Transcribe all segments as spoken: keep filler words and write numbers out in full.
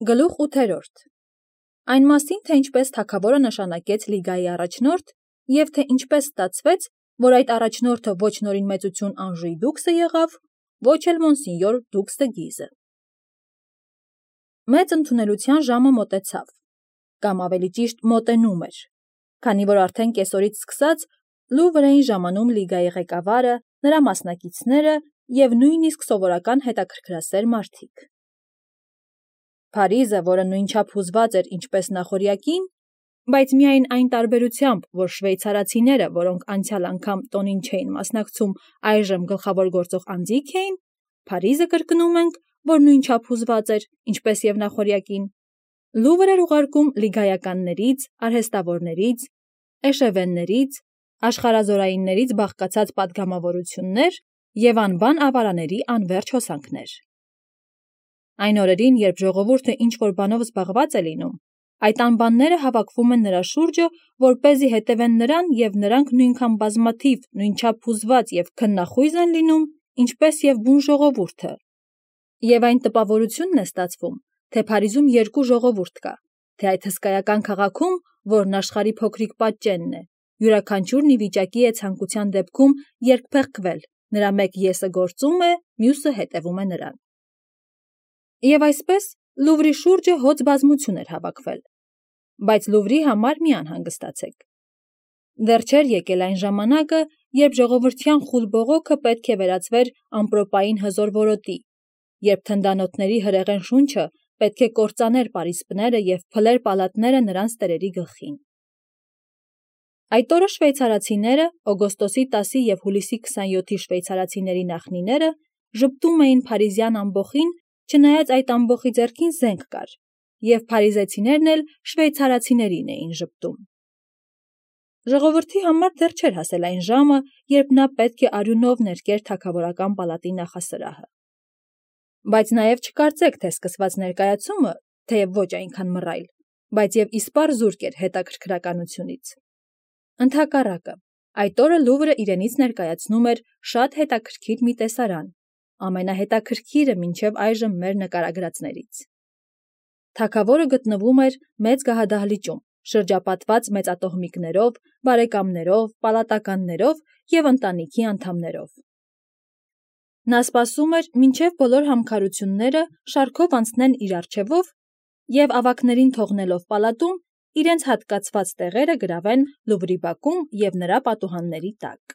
Գլուխ ութերորդ. Այն մասին, թե ինչպես թագավորը նշանակեց լիգայի առաջնորդ և թե ինչպես ստացվեց, որ այդ առաջնորդը ոչ նորին մեծություն Անժուի դուքսը եղավ, ոչ էլ մոնսինյոր դուքս դը Գիզը։ Մեծ ընդունելության ժամը մոտեցավ, կամ ավելի ճիշտ մոտենում էր, քանի որ արդեն կեսօրից սկսած Լուվր էին ժամանում լիգայի ղեկավարը, նրա մասնակիցները և նույնիսկ սովորական հետաքրքրասեր մարդիկ։ Փարիզը, որը նույնչափ հուզված էր ինչպես նախօրյակին, բայց միայն այն տարբերությամբ, որ շվեյցարացիները, որոնք անցյալ անգամ տոնին չէին մասնակցում, այժմ գլխավոր գործող անձիկ էին, Փարիզը կրկնում ենք, որ նույնչափ հուզված էր, ինչպես և նախօրյակին, Լուվր էր ուղարկում լիգայականներից, արհեստավորներից, էշևեններից, աշխարհազորայիններից բաղկացած պատգամավորություններ և անբան ավարաների անվերջ հոսանքներ։ Այն օրերին, երբ ժողովուրդը ինչ-որ բանով զբաղված է լինում, այդ անբանները հավաքվում են նրա շուրջը, որպեսզի հետևեն նրան, և նրանք նույնքան բազմաթիվ, նույնչափ հուզված և քննախույզ են լինում, ինչպես և բուն ժողովուրդը։ Եվ այն տպավորությունն է ստացվում, թե Փարիզում երկու ժողովուրդ կա, թե այդ հսկայական քաղաքում, որն աշխարհի փոքրիկ պատճենն է, յուրաքանչյուրն ի վիճակի է ցանկության դեպքում երկփեղկվել, նրա մեկ եսը գործում է, մյուսը հետևում է նրան։ Եվ այսպես Լուվրի շուրջը հոծ բազմություն էր հավաքվել, բայց Լուվրի համար մի անհանգստացեք։ Դեռ չէր եկել այն ժամանակը, երբ ժողովրդյան խուլ բողոքը պետք է վերածվեր ամպրոպային հզոր որոտի, երբ թնդանոթների հրեղեն շունչը պետք է կործաներ պարիսպները և փլեր պալատները նրանց տերերի գլխին։ Այդ օրը շվեյցարացիները, օգոստոսի տասի և հուլիսի քսանյոթի շվեյցարացիների նախնիները, ժպտում էին փարիզյան ամբոխին, չնայած այդ ամբոխի ձեռքին զենք կար, և փարիզեցիներն էլ շվեյցարացիներին էին ժպտում։ Ժողովրդի համար դեռ չէր հասել այն ժամը, երբ նա պետք է արյունով ներկեր թագավորական պալատի նախասրահը։ Բայց նաև չկարծեք, թե սկսված ներկայացումը, թեև ոչ այնքան մռայլ, բայց և իսպառ զուրկ էր հետաքրքրականությունից։ Ընդհակառակը, այդ օրը Լուվրը իրենից ներկայացնում էր շատ հետաքրքիր մի տեսարան, ամենահետաքրքիրը մինչև այժմ մեր նկարագրածներից։ Թագավորը գտնվում էր մեծ գահադահլիճում, շրջապատված մեծատոհմիկներով, բարեկամներով, պալատականներով և ընտանիքի անդամներով։ Նա սպասում էր, մինչև բոլոր համքարությունները շարքով անցնեն իր առջևով և ավագներին թողնելով պալատում, իրենց հատկացված տեղերը գրավեն Լուվրի բակում և նրա պատուհանների տակ։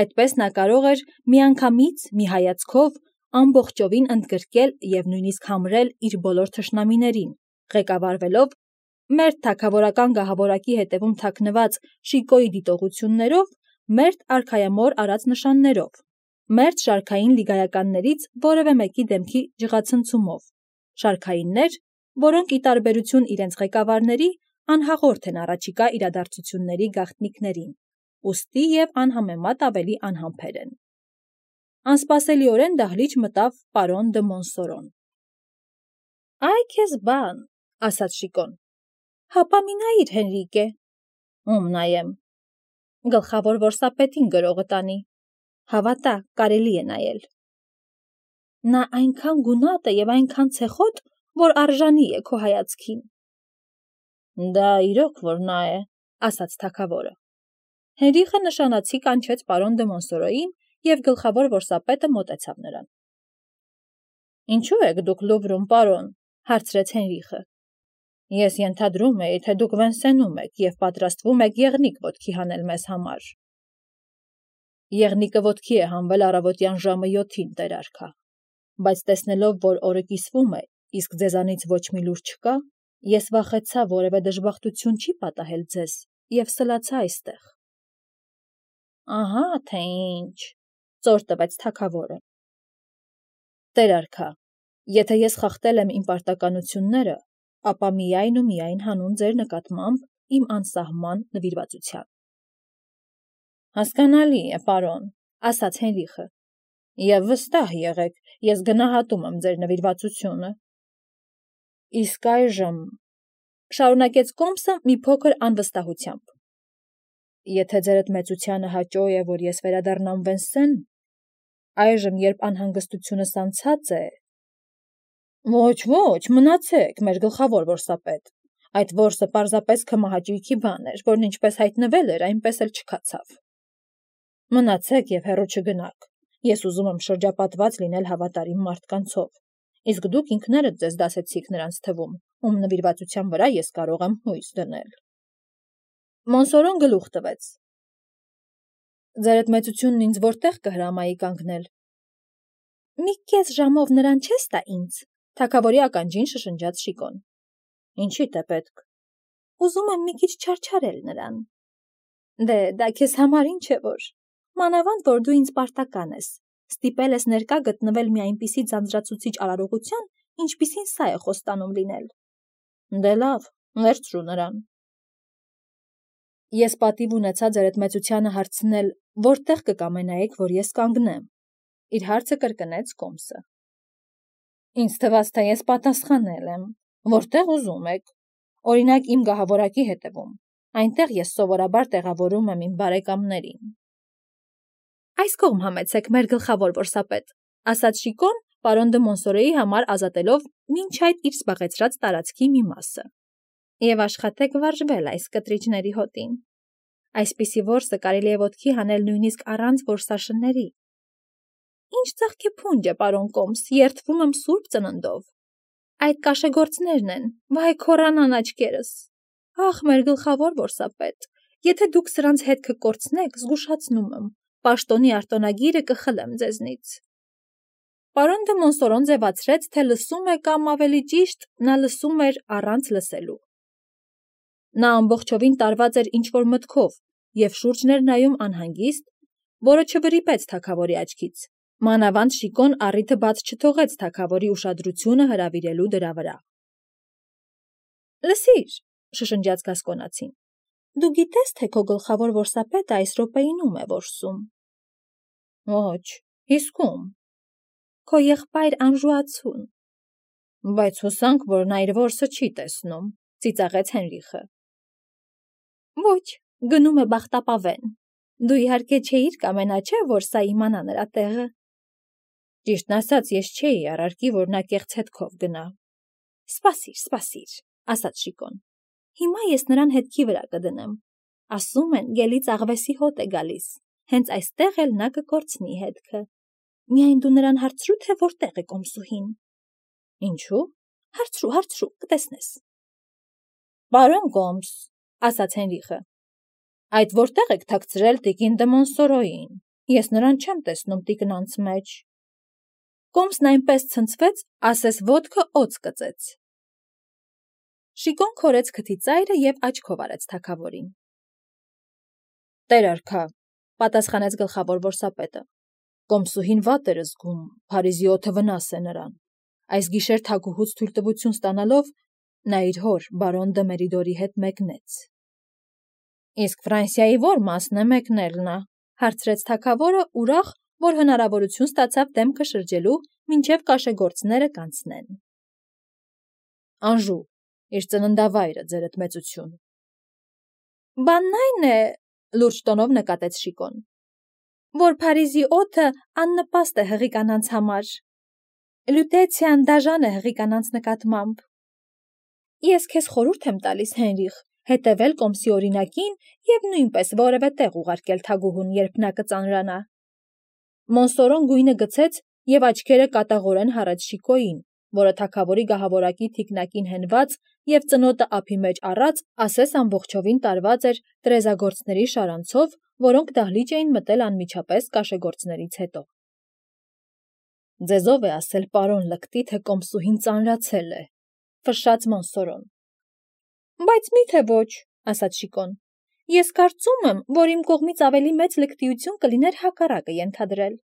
Այդպես նա կարող էր միանգամից, մի հայացքով, ամբողջովին ընդգրկել և նույնիսկ համրել իր բոլոր թշնամիներին, ղեկավարվելով մերթ թագավորական գահավորակի հետևում թաքնված շիկոյի դիտողություններով, մերթ արքայամոռ արած նշաններով, մերթ շարքային լիգայականներից որևէ մեկի դեմքի ջղացնցումով, շարքայիններ, որոնք ի տարբերություն իրենց ղեկավարների անհաղորդ են առաջիկա իրադարձությունների գաղտնիքներին, ուստի և անհամեմատ ավելի անհամբեր են։ Անսպասելիորեն դահլիճ մտավ պարոն դը Մոնսորոն։ «Այ քեզ բան», ասաց Շիկոն, «հապա մի նայիր, Հենրիկե»։ «Ում նայեմ»։ «Գլխավոր որսապետին գրողը տանի։ Հավատա, կարելի է նայել»։ «Նա այնքան գունատ է և այնքան ցեխոտ, որ արժանի է քո հայացքին»։ «Դա իրոք որ նա է», ասաց թագավորը։ Հենրիխը նշանացի կանչեց պարոն դը Մոնսորոյին, և գլխավոր որսապետը մոտեցավ նրան։ «Ինչո՞ւ եք դուք Լուվրում, պարոն», հարցրեց Հենրիխը։ «Ես ենթադրում էի, թե դուք Վենսենում եք և պատրաստվում եք եղնիկ ոտքի հանել մեզ համար»։ «Եղնիկը ոտքի է հանվել առավոտյան ժամը յոթին, տեր արքա, բայց տեսնելով, որ օրը կիսվում է, իսկ ձեզանից ոչ մի լուր չկա, ես վախեցա որևէ դժբախտություն չի պատահել ձեզ և սլացա այստեղ»։ «Ահա թե ինչ», ծոր տվեց թագավորը։ «Տեր արքա, եթե ես խախտել եմ իմ պարտականությունները, ապա միայն ու միայն հանուն ձեր նկատմամբ իմ անսահման նվիրվածության»։ «Հասկանալի է, պարոն», ասաց Հենրիխը, «և վստահ եղեք, ես գնահատում եմ ձեր նվիրվածությունը»։ «Իսկ այժմ», շարունակեց Կոմսը մի փոքր անվստահությամբ, «եթե ձերդ մեծությանը հաճո է, որ ես վերադառնամ Վենսեն, այժմ, երբ անհանգստությունս անցած է, Ոչ, ոչ, մնացեք, մեր գլխավոր որսապետ։ Այդ որսը պարզապես քմահաճույքի բան էր, որն ինչպես հայտնվել էր, այնպես էլ չքացավ։ Մնացեք եւ հեռու չգնաք։ Ես ուզում եմ շրջապատված լինել հավատարիմ մարդկանցով, իսկ դուք ինքներդ ձեզ դասեցիք նրանց թվում, ում նվիրվածության վրա ես կարող եմ հույս դնել։ Մոնսորոն գլուխ տվեց։ Ձերդ մեծությունն ինձ որտեղ կհրամայի կանգնել։ Մի կես ժամով նրան չես տա ինձ, թագավորի ականջին շշնջաց Շիկոն։ Ինչի՞դ է պետք։ Ուզում եմ մի քիչ չարչարել նրան։ Դե, դա քեզ համար ինչ է որ։ Մանավանդ որ դու ինձ պարտական ես, ստիպել ես ներկա գտնվել մի այնպիսի ձանձրացուցիչ արարողության, ինչպիսին սա է խոստանում լինել։ Դե լավ, վերցրու նրան։ Ես պատիվ ունեցա ձերդ մեծությանը հարցնել, որտեղ կկամենայիք, որ ես կանգնեմ։ Իր հարցը կրկնեց Կոմսը։ Ինձ թվաց, թե ես պատասխանել եմ, որտեղ ուզում եք։ Օրինակ իմ գահավորակի հետևում։ Այնտեղ ես սովորաբար տեղավորում եմ իմ բարեկամներին։ Այս կողմ համեցեք, մեր գլխավոր որսապետ, ասաց Շիկոն, պարոն դը Մոնսորոյի համար ազատելով մինչ այդ իր զբաղեցրած տարածքի մի մասը։ Եվ աշխատեք վարժվել այս կտրիճների հոտին։ Այսպիսի որսը կարելի է ոտքի հանել նույնիսկ առանց որսաշնների։ Ինչ ծաղկե փունջ է, պարոն Կոմս, երդվում եմ սուրբ ծննդով։ Այդ կաշեգործներն են, վայ քորանան աչքերս։ Ախ, մեր գլխավոր որսապետ, եթե դուք սրանց հետ կկորցնեք, զգուշացնում եմ, պաշտոնի արտոնագիրը կխլեմ ձեզնից։ Պարոն դը Մոնսորոն ձևացրեց, թե լսում է կամ ավելի ճիշտ, նա լսում էր առանց լսելու։ Նա ամբողջովին տարված էր ինչ-որ մտքով և շուրջն էր նայում անհանգիստ, որը չվրիպեց թագավորի աչքից։ Մանավանդ Շիկոն առիթը բաց չթողեց թագավորի ուշադրությունը հրավիրելու դրա վրա։ Լսիր, շշնջաց Գասկոնացին, դու գիտես, թե քո գլխավոր որսապետը այս րոպեին ում է որսում։ Ոչ, իսկ ում։ Քո եղբայր Անժուացուն։ Բայց հուսանք, որ նա իր որսը չի տեսնում, ծիծաղեց Հենրիխը։ Ոչ, գնում է բախտապավեն։ Դու իհարկե չէիր կամենա, չէ, որ սա իմանա նրա տեղը։ Ճիշտն ասած, ես չէի առարկի, որ նա կեղծ հետքով գնա։ Սպասիր, սպասիր, ասաց Շիկոն։ Հիմա ես նրան հետքի վրա կդնեմ։ Ասում են, գելից աղվեսի հոտ է գալիս, հենց այստեղ էլ նա կկորցնի հետքը։ Միայն դու նրան հարցրու, թե որտեղ է Կոմսուհին։ Ինչու՞։ Հարցրու, հարցրու, կտեսնես։ Պարոն Կոմս, ասաց Հենրիխը, այդ որտեղ եք թաքցրել տիկին դը Մոնսորոյին։ Ես նրան չեմ տեսնում տիկնանց մեջ։ Կոմսն այնպես ցնցվեց, ասես ոտքը օձ կծեց։ Շիկոն քորեց քթի ծայրը և աչքով արեց թագավորին։ Տեր արքա, պատասխանեց գլխավոր որսապետը։ Կոմսուհին վատ էր զգում, Փարիզի օդը վնաս է նրան։ Այս գիշեր թագուհուց թույլտվություն ստանալով, նա իր հոր, բարոն դը Մերիդորի հետ մեկնեց։ Իսկ Ֆրանսիայի ո՞ր մասն է մեկնել նա, հարցրեց թագավորը, ուրախ, որ հնարավորություն ստացավ դեմքը շրջելու, մինչև կաշեգործները կանցնեն։ Անժու, իր ծննդավայրը, ձերդ մեծություն։ Բանն այն է, լուրջ տոնով նկատեց Շիկոն, որ Փարիզի օդը աննպաստ է հղի կանանց համար։ Լյուտեցիան դաժան է հղի կանանց նկատմամբ։ Ես քեզ խորհուրդ եմ տալիս, Հենրիխ, հետևել Կոմսի օրինակին և նույնպես որևէ տեղ ուղարկել թագուհուն, երբ նա կծանրանա։ Մոնսորոն գույնը գցեց և աչքերը կատաղորեն հառեց Շիկոյին, որը թագավորի գահավորակի թիկնակին հենված և ծնոտը ափի մեջ առած, ասես ամբողջովին տարված էր տրեզագործների շարանցով, որոնք դահլիճ էին մտել անմիջապես կաշեգործներից հետո։ Ձեզ ով է ասել, պարոն լկտի, թե Կոմսուհին ծանրացել է, ֆշշաց Մոնսորոն։ Բայց մի՞թե ոչ, ասաց Շիկոն։ Ես կարծում եմ, որ իմ կողմից ավելի մեծ լկտիություն կլիներ հակառակը ենթադրել։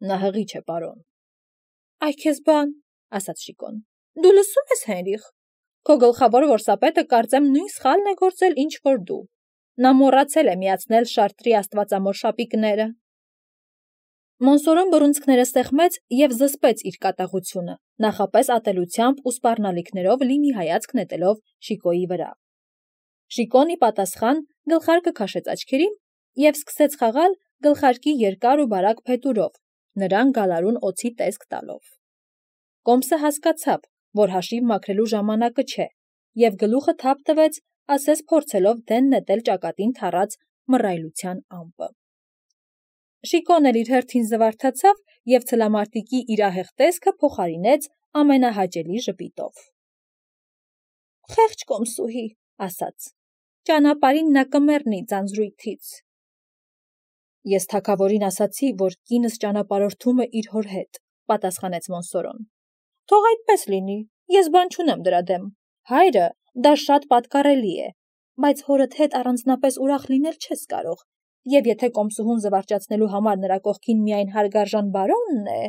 Նա հղի չէ, պարոն։ Այ քեզ բան, ասաց Շիկոն։ Դու լսում ես, Հենրիխ։ Քո գլխավոր որսապետը կարծեմ նույն սխալն է գործել, ինչ որ դու։ Նա մոռացել է միացնել Շարտրի աստվածամոր շապիկները։ Մոնսորոն բռունցքները սեղմեց և զսպեց իր կատաղությունը, նախապես ատելությամբ ու սպառնալիքներով լի մի հայացք նետելով Շիկոյի վրա։ Շիկոն ի պատասխան գլխարկը քաշեց աչքերին և սկսեց խաղալ գլխարկի երկար ու բարակ փետուրով, նրան գալարուն օձի տեսք տալով։ Կոմսը հասկացավ, որ հաշիվ մաքրելու ժամանակը չէ, և գլուխը թափ տվեց, ասես փորձելով դեն նետել ճակատին թառած մռայլության ամպը։ Շիկոն էլ իր հերթին զվարթացավ և ցլամարտիկի իր ահեղ տեսքը փոխարինեց ամենահաճելի ժպիտով։ «Խեղճ կոմսուհի», ասաց, «ճանապարհին նա կմեռնի ձանձրույթից»։ «Ես թագավորին ասացի, որ կինս ճանապարհորդում է իր հոր հետ», պատասխանեց Մոնսորոն։ «Թող այդպես լինի, ես բան չունեմ դրա դեմ, հայրը դա շատ պատկառելի է, բայց հորդ հետ առանձնապես ուրախ լինել չես կարող, և եթե կոմսուհուն զվարճացնելու համար նրա կողքին միայն հարգարժան բարոնն է…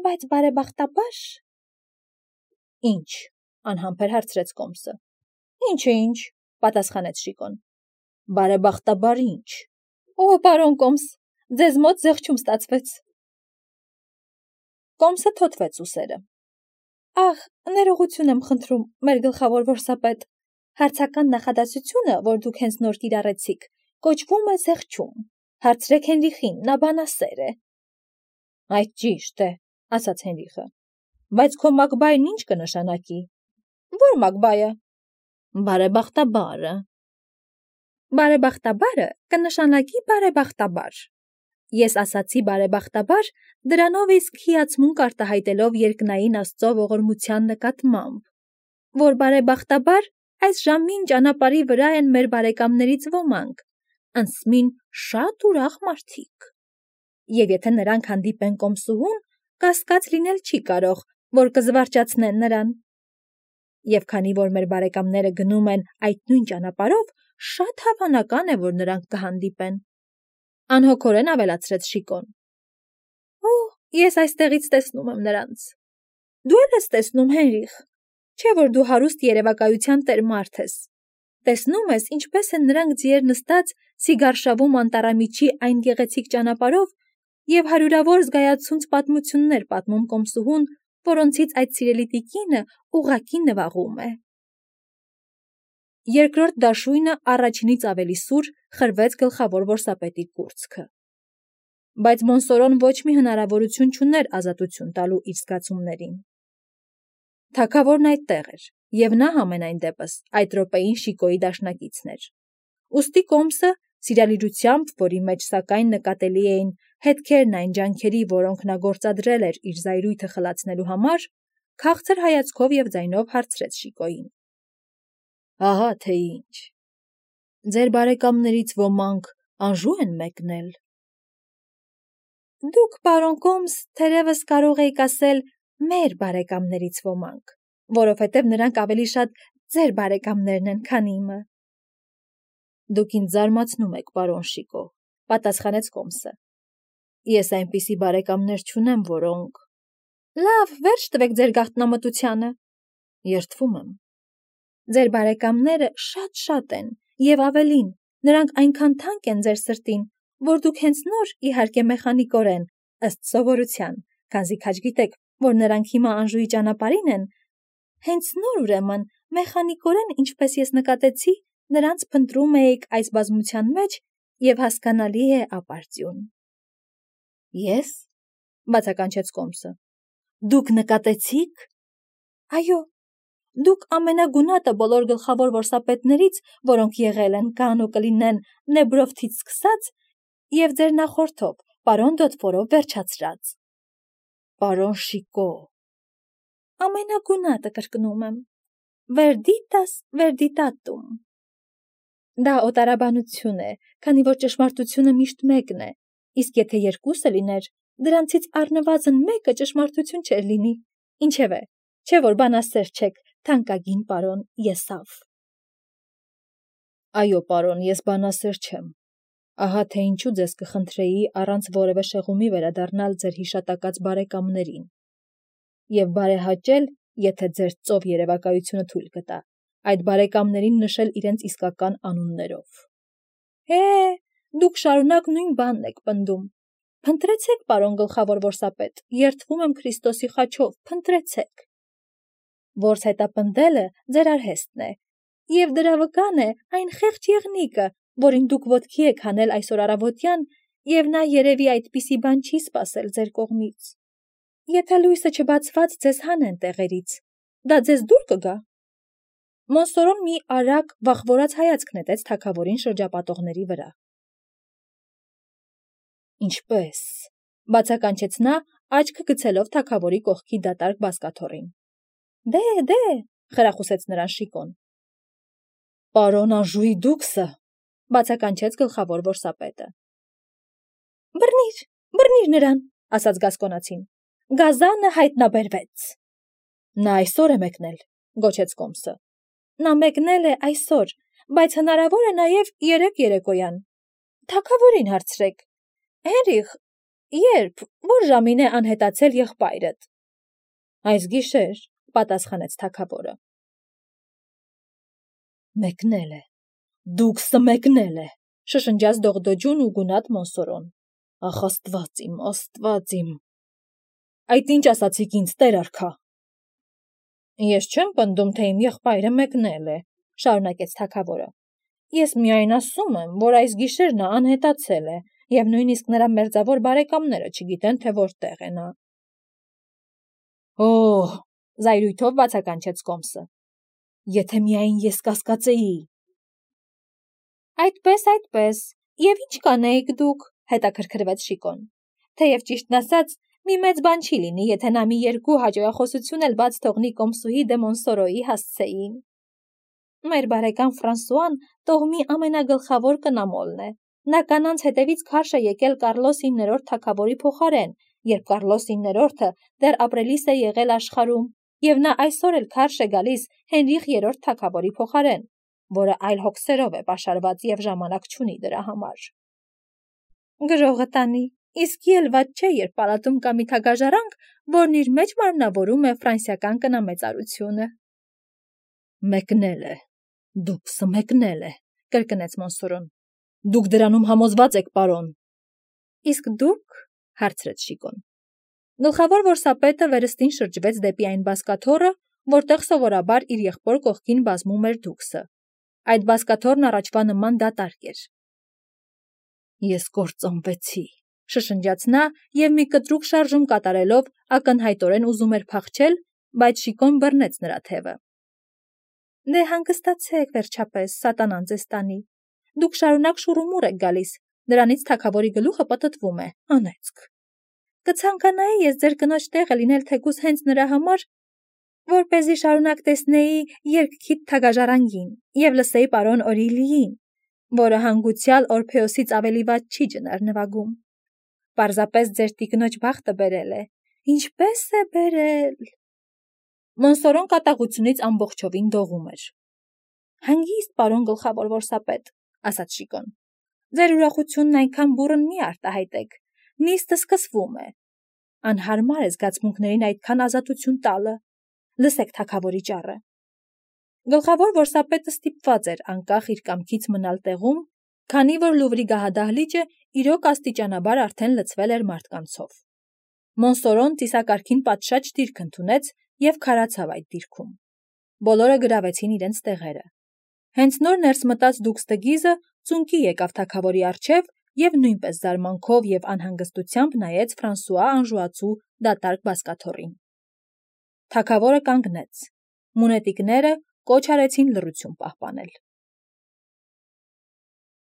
Բայց բարեբախտաբար… Ի՞նչ, անհամբեր հարցրեց կոմսը։ Ինչ-ինչ, ինչ, պատասխանեց Շիկոն։ Բարեբախտաբար ինչ։ Օ, պարոն կոմս, ձեզ մոտ զեղչում ստացվեց։ Կոմսը թոթվեց ուսերը։ Ախ, ներողություն եմ խնդրում, մեր գլխավոր որսապետ, հարցական նախադասությունը, որ դուք հենց նոր կիրառեցիք, կոչվում է զեղչում։ Հարցրեք Հենրիխին, նա բանասեր է։ Այդ ճիշտ է, ասաց Հենրիխը, բայց քո մակբայրն ինչ կնշանակի։ Ո՞ր մակբայը։ Բարեբախտաբարը։ Բարեբախտաբարը կնշանակի բարեբախտաբար։ Ես ասացի բարեբախտաբար, դրանով իսկ հիացմունք արտահայտելով երկնային Աստծո ողորմության նկատմամբ, որ բարեբախտաբար այս ժամին ճանապարհի վրա են մեր բարեկամներից ոմանք, անսմին շատ ուրախ մարդիկ։ Եվ եթե նրանք հանդիպեն կոմսուհուն, կասկած լինել չի կարող, որ կզվարճացնեն նրան։ Եվ քանի որ մեր բարեկամները գնում են այդ նույն ճանապարհով, շատ հավանական է, որ նրանք կհանդիպեն։ Անհոգորեն ավելացրեց Շիկոն։ Օ, ես այստեղից տեսնում եմ նրանց։ Դու էլ ես տեսնում, Հենրիխ, չէ՞ որ դու հարուստ երևակայության տեր մարդ ես։ Տեսնում ես, ինչպես են նրանք ձիեր նստած Սիգարշավում անտառամիջի այն գեղեցիկ ճանապարհով և հարյուրավոր զգայացունց պատմություններ պատմում կոմսուհուն, որոնցից այդ սիրելի տիկինը ուղղակի նվաղում է։ Երկրորդ դաշույնը առաջինից ավելի սուր խրվեց գլխավոր որսապետի կուրծքը։ Բայց Մոնսորոն ոչ մի հնարավորություն չուներ ազատություն տալու իր զգացումներին։ Թագավորն այդտեղ էր, և նա համենայն դեպս այդ րոպեին Շիկոյի դաշնակիցն էր։ Ուստի կոմսը, սիրալիրությամբ, որի մեջ սակայն նկատելի էին հետքերն այն ջանքերի, որոնք նա գործադրել էր իր զայրույթը խլացնելու համար, քաղցր հայացքով և ձայնով հարցրեց Շիկոյին. Ահա թե ինչ։ Ձեր բարեկամներից ոմանք անժո՞ւ են մեկնել։ Դուք, պարոն կոմս, թերևս կարող էիք ասել մեր բարեկամներից ոմանք, որովհետև նրանք ավելի շատ ձեր բարեկամներն են, քան իմը։ Դուք ինձ զարմացնում եք, պարոն Շիկո, պատասխանեց կոմսը։ Ես այնպիսի բարեկամներ չունեմ, որոնք… Լավ, վերջ տվեք ձեր գաղտնամտությանը։ Երդվում եմ։ Ձեր բարեկամները շատ-շատ են, և ավելին, նրանք այնքան թանկ են ձեր սրտին, որ դուք հենց նոր, իհարկե մեխանիկորեն, ըստ սովորության, քանզի քաջ գիտեք, որ նրանք հիմա Անժուի ճանապարհին են, հենց նոր ուրեմն, մեխանիկորեն, ինչպես ես նկատեցի, նրանց փնտրում էիք այս բազմության մեջ և հասկանալի է ապարդյուն։ Ես, բացականչեց կոմսը, դուք նկատեցի՞ք։ Այո, դուք ամենագունատը բոլոր գլխավոր որսապետներից, որոնք եղել են կան ու կլինեն Նեբրովթից սկսած, և ձեր նախորդով, պարոն Դոդֆորով վերջացրած։ Պարոն Շիկո։ Ամենագունատը կրկնում եմ։ Վերդիտաս վերդիտատում։ Դա օտարաբանություն է, քանի որ ճշմարտությունը միշտ մեկն է, իսկ եթե երկուսը լիներ, դրանցից առնվազն մեկը ճշմարտություն չէր լինի։ Ինչևէ, չէ՞ որ բանասեր չեք, թանկագին պարոն Եսավ։ Այո, պարոն, ես բանասեր չեմ։ Ահա թե ինչու ձեզ կխնդրեի առանց որևէ շեղումի վերադառնալ ձեր հիշատակած բարեկամներին և բարեհաճել, եթե ձեր ծով երևակայությունը թույլ կտա, այդ բարեկամներին նշել իրենց իսկական անուններով։ Հե, դուք շարունակ նույն բանն եք պնդում։ Փնտրեցեք, պարոն գլխավոր որսապետ, երդվում եմ Քրիստոսի խաչով, փնտրեցեք։ Որս հետապնդելը ձեր արհեստն է, և դրա վկան է այն խեղճ եղնիկը, որին դուք ոտքի եք հանել այսօր առավոտյան, և նա երևի այդպիսի բան չի սպասել ձեր կողմից։ Եթե լույսը չբացված ձեզ հանեն տեղերից, դա ձեզ դուր կգա։ Մոնսորոն մի արագ, վախվորած հայացք նետեց թագավորին շրջապատողների վրա։ Ինչպես, բացականչեց նա, աչքը գցելով թագավորի կողքի դատարկ բազկաթոռին։ Դե, դե, խրախուսեց նրան Շիկոն։ Պարոն Անժուի դուքսը, բացականչեց գլխավոր որսապետը։ Բռնիր, բռնիր նրան, ասաց գասկոնացին։ Գազանը հայտնաբերվեց։ Նա այսօր է մեկնել, գոչեց Կոմսը։ Նա մեկնել է այսօր, բայց հնարավոր է նաև երեկ երեկոյան։ Թագավորին հարցրեք։ Հենրիխ, երբ, որ ժամին է անհետացել եղբայրդ։ Այս գիշեր, պատասխանեց թագավորը։ Մեկնել է, դուքսը մեկնել է, շշնջաց դողդոջուն ու գունատ Մոնսորոն։ Ախ, աստված իմ, աստված իմ։ Այդ ինչ ասացիք ինձ, տեր արքա։ Ես չեմ պնդում, թե իմ եղբայրը մեկնել է, շարունակեց թագավորը։ Ես միայն ասում եմ, որ այս գիշեր նա անհետացել է, եւ նույնիսկ նրա մերձավոր բարեկամները չգիտեն, թե որտեղ է նա։ Օհ, զայրույթով բացականչեց Կոմսը։ Եթե միայն ես կասկածեի։ Այդպես, այդպես, եւ ինչ կանեիք դուք, հետաքրքրվեց Շիկոն։ Թեև ճիշտն ասած, մի մեծ բան չի լինի, եթե նա մի երկու հաջողախոսություն էլ բաց թողնի Կոմսուհի դե Մոնսորոյի հասցեին։ Մեր բարեկամ Ֆրանսուան տոհմի ամենագլխավոր կնամոլն է։ Նա կանանց հետևից քարշ է եկել Կարլոս իններորդ թագավորի փոխարեն, երբ Կարլոս իններորդը դեռ ապրելիս է եղել աշխարհում, եւ նա այսօր էլ քարշ է գալիս Հենրիխ երրորդ թագավորի փոխարեն, որը այլ հոգսերով է պաշարված եւ ժամանակ չունի դրա համար։ Գրողը տանի, իսկ ել ված չէ, երբ պալատում կա մի թագաժարանք, որն իր մեջ մարմնավորում է ֆրանսիական կնամեծարությունը։ Մեկնել է, դուքսը մեկնել է, կրկնեց Մոնսորոն։ Դուք դրանում համոզված եք, պարոն։ Իսկ դուք, հարցրեց Շիկոն։ Գլխավոր որսապետը վերստին շրջվեց դեպի այն բազկաթոռը, որտեղ սովորաբար իր եղբոր կողքին բազմում էր դուքսը։ Այդ բազկաթոռն առաջվա նման դատարկ էր։ Ես կործանվեցի, շշնջաց նա եւ մի կտրուկ շարժում կատարելով ակնհայտորեն ուզում էր փախչել, բայց Շիկոն բռնեց նրա թևը։ Դե հանգստացեք վերջապես, սատանան ձեզ տանի։ Դուք շարունակ շուռումուռ եք գալիս, դրանից թագավորի գլուխը պտտվում է, անեծք։ Կցանկանայի ես ձեր կնոջ տեղը լինել թեկուզ հենց նրա համար, որպեսզի շարունակ տեսնեի երկքիդ թագաժարանգին եւ լսեի պարոն Օրիլիին, որը հանգուցյալ Օրփեոսից ավելի վատ չի ջնար նվագում։ Պարզապես ձեր տիկնոջ բախտը բերել է։ Ինչպես է բերել։ Մոնսորոն կատաղությունից ամբողջովին դողում էր։ Հանգիստ, պարոն գլխավոր որսապետ, ասաց Շիկոն։ Ձեր ուրախությունն այնքան բուռն մի արտահայտեք։ Նիստը սկսվում է։ Անհարմար է զգացմունքներին այդքան ազատություն տալը։ Լսեք թագավորի ճառը։ Գլխավոր որսապետը ստիպված էր անկախ իր կամքից մնալ տեղում, քանի որ Լուվրի գահադահլիճը իրոք աստիճանաբար արդեն լցվել էր մարդկանցով։ Մոնսորոն ծիսակարգին պատշաճ դիրք ընդունեց եւ քարացավ այդ դիրքում։ Բոլորը գրավեցին իրենց տեղերը։ Հենց նոր ներս մտած դուքստգիզը ծունկի եկավ թագավորի առջև եւ նույնպես զարմանքով եւ անհանգստությամբ նայեց Ֆրանսուଆ Անժուացու դատարկ բազկաթոռին։ Թագավորը կանգնեց։ Մունետիկները կոչ արեցին լռություն պահպանել։